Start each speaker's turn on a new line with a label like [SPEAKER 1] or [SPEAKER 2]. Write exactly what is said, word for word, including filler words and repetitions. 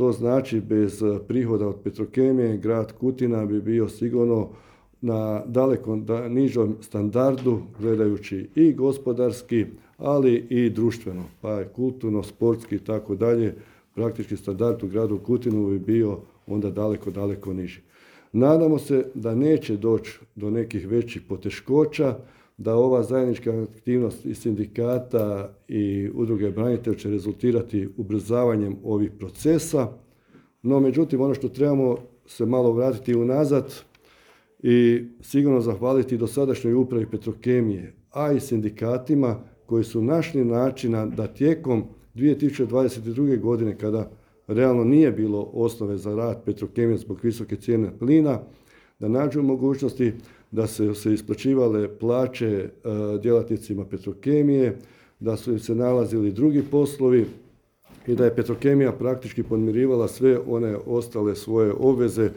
[SPEAKER 1] To znači bez prihoda od Petrokemije grad Kutina bi bio sigurno na daleko da, nižom standardu gledajući i gospodarski, ali i društveno, pa je kulturno, sportski i tako dalje. Praktički standard u gradu Kutinu bi bio onda daleko, daleko niži. Nadamo se da neće doći do nekih većih poteškoća, da ova zajednička aktivnost i sindikata i udruge branitelja će rezultirati ubrzavanjem ovih procesa. No, međutim, ono što trebamo se malo vratiti unazad i sigurno zahvaliti dosadašnjoj upravi Petrokemije, a i sindikatima koji su našli načina da tijekom dvije tisuće dvadeset druge. godine, kada realno nije bilo osnove za rad Petrokemije zbog visoke cijene plina, da nađu mogućnosti da se, se isplaćivale plaće e, djelatnicima Petrokemije, da su im se nalazili drugi poslovi i da je Petrokemija praktički podmirivala sve one ostale svoje obveze